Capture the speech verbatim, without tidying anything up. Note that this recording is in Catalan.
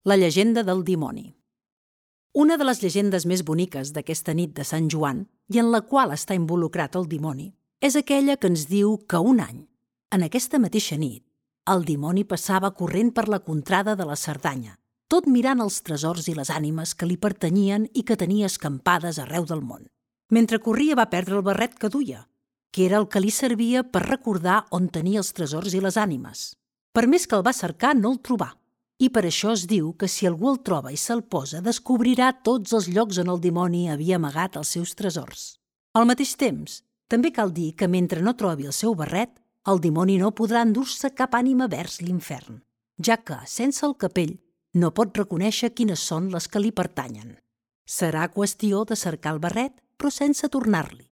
La llegenda del dimoni. Una de les llegendes més boniques d'aquesta nit de Sant Joan, i en la qual està involucrat el dimoni, és aquella que ens diu que un any, en aquesta mateixa nit, el dimoni passava corrent per la contrada de la Cerdanya, tot mirant els tresors i les ànimes que li pertanyien i que tenia escampades arreu del món. Mentre corria va perdre el barret que duia, que era el que li servia per recordar on tenia els tresors i les ànimes. Per més que el va cercar, no el trobà. I per això es diu que si algú el troba i se'l posa, descobrirà tots els llocs on el dimoni havia amagat els seus tresors. Al mateix temps, també cal dir que mentre no trobi el seu barret, el dimoni no podrà endur-se cap ànima vers l'infern, ja que, sense el capell, no pot reconèixer quines són les que li pertanyen. Serà qüestió de cercar el barret, però sense tornar-li.